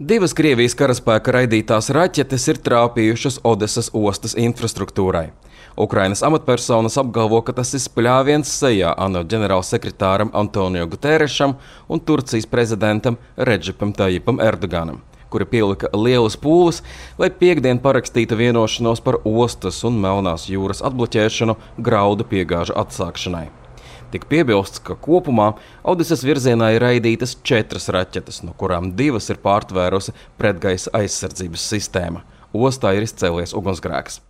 Divas Krievijas karaspēka raidītās raķetes ir trāpījušas Odesas ostas infrastruktūrai. Ukrainas amatpersonas apgalvo, ka tas ir spļāviens sejā ANO ģenerālsekretāram Antonio Guterešam un Turcijas prezidentam Redžepam Tajipam Erdoganam, kuri pielika lielas pūles, lai piektdien parakstītu vienošanos par ostas un Melnās jūras atbloķēšanu graudu piegāžu atsākšanai. Tik piebilsts, ka kopumā Odesas virzienā ir raidītas 4 raķetes, no kurām 2 ir pārtvērusi pretgaisa aizsardzības sistēma. Ostā ir izcēlies ugunsgrēks.